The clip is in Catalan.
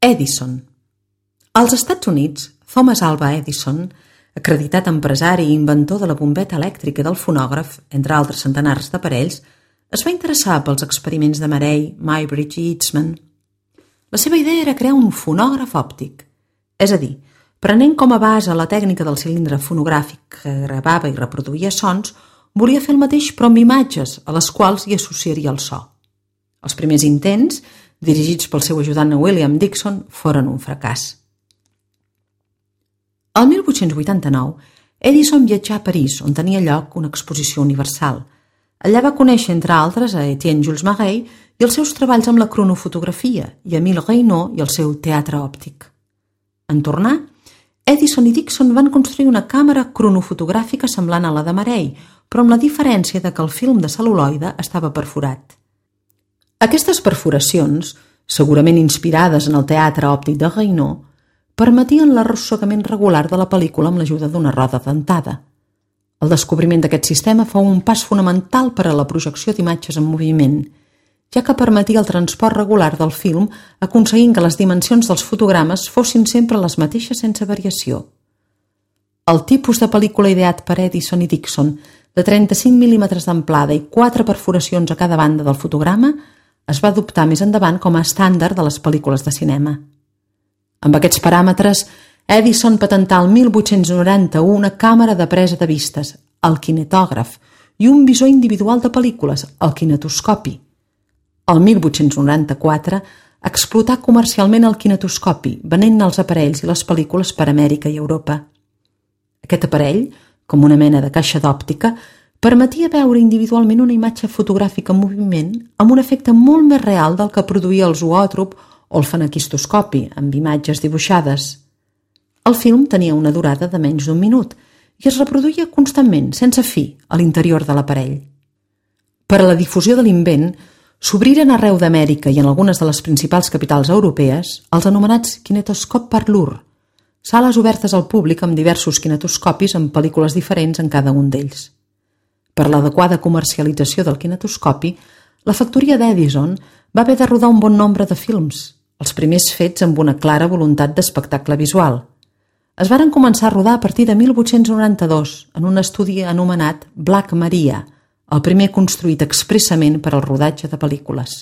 Edison. Als Estats Units, Thomas Alva Edison, acreditat empresari i inventor de la bombeta elèctrica i del fonògraf, entre altres centenars d'aparells, es va interessar pels experiments de Marey, Muybridge i Eastman. La seva idea era crear un fonògraf òptic, és a dir, prenent com a base la tècnica del cilindre fonogràfic que gravava i reproduïa sons, volia fer el mateix però amb imatges a les quals hi associaria el so. Els primers intents, dirigits pel seu ajudant William Dickson, foren un fracàs. El 1889, Edison viatjà a París, on tenia lloc una exposició universal. Allà va conèixer, entre altres, a Etienne Jules Marey i els seus treballs amb la cronofotografia i Émile Reynaud i el seu teatre òptic. En tornar, Edison i Dickson van construir una càmera cronofotogràfica semblant a la de Marey, però amb la diferència de que el film de cel·luloide estava perforat. Aquestes perforacions, segurament inspirades en el teatre òptic de Reynaud, permetien l'arrossegament regular de la pel·lícula amb l'ajuda d'una roda dentada. El descobriment d'aquest sistema fou un pas fonamental per a la projecció d'imatges en moviment, ja que permetia el transport regular del film aconseguint que les dimensions dels fotogrames fossin sempre les mateixes sense variació. El tipus de pel·lícula ideat per Edison i Dickson, de 35 mm d'amplada i 4 perforacions a cada banda del fotograma, es va adoptar més endavant com a estàndard de les pel·lícules de cinema. Amb aquests paràmetres, Edison patentà el 1891 una càmera de presa de vistes, el kinetògraf, i un visor individual de pel·lícules, el kinetoscopi. El 1894 explotà comercialment el kinetoscopi, venent els aparells i les pel·lícules per Amèrica i Europa. Aquest aparell, com una mena de caixa d'òptica, permetia veure individualment una imatge fotogràfica en moviment amb un efecte molt més real del que produïa el zoòtrop o el fenequistoscopi, amb imatges dibuixades. El film tenia una durada de menys d'1 minut i es reproduïa constantment, sense fi, a l'interior de l'aparell. Per a la difusió de l'invent, s'obriren arreu d'Amèrica i en algunes de les principals capitals europees els anomenats kinetoscop parlor, sales obertes al públic amb diversos kinetoscopis amb pel·lícules diferents en cada un d'ells. Per l'adequada comercialització del kinetoscopi, la factoria d'Edison va haver de rodar un bon nombre de films, els primers fets amb una clara voluntat d'espectacle visual. Es varen començar a rodar a partir de 1892 en un estudi anomenat Black Maria, el primer construït expressament per al rodatge de pel·lícules.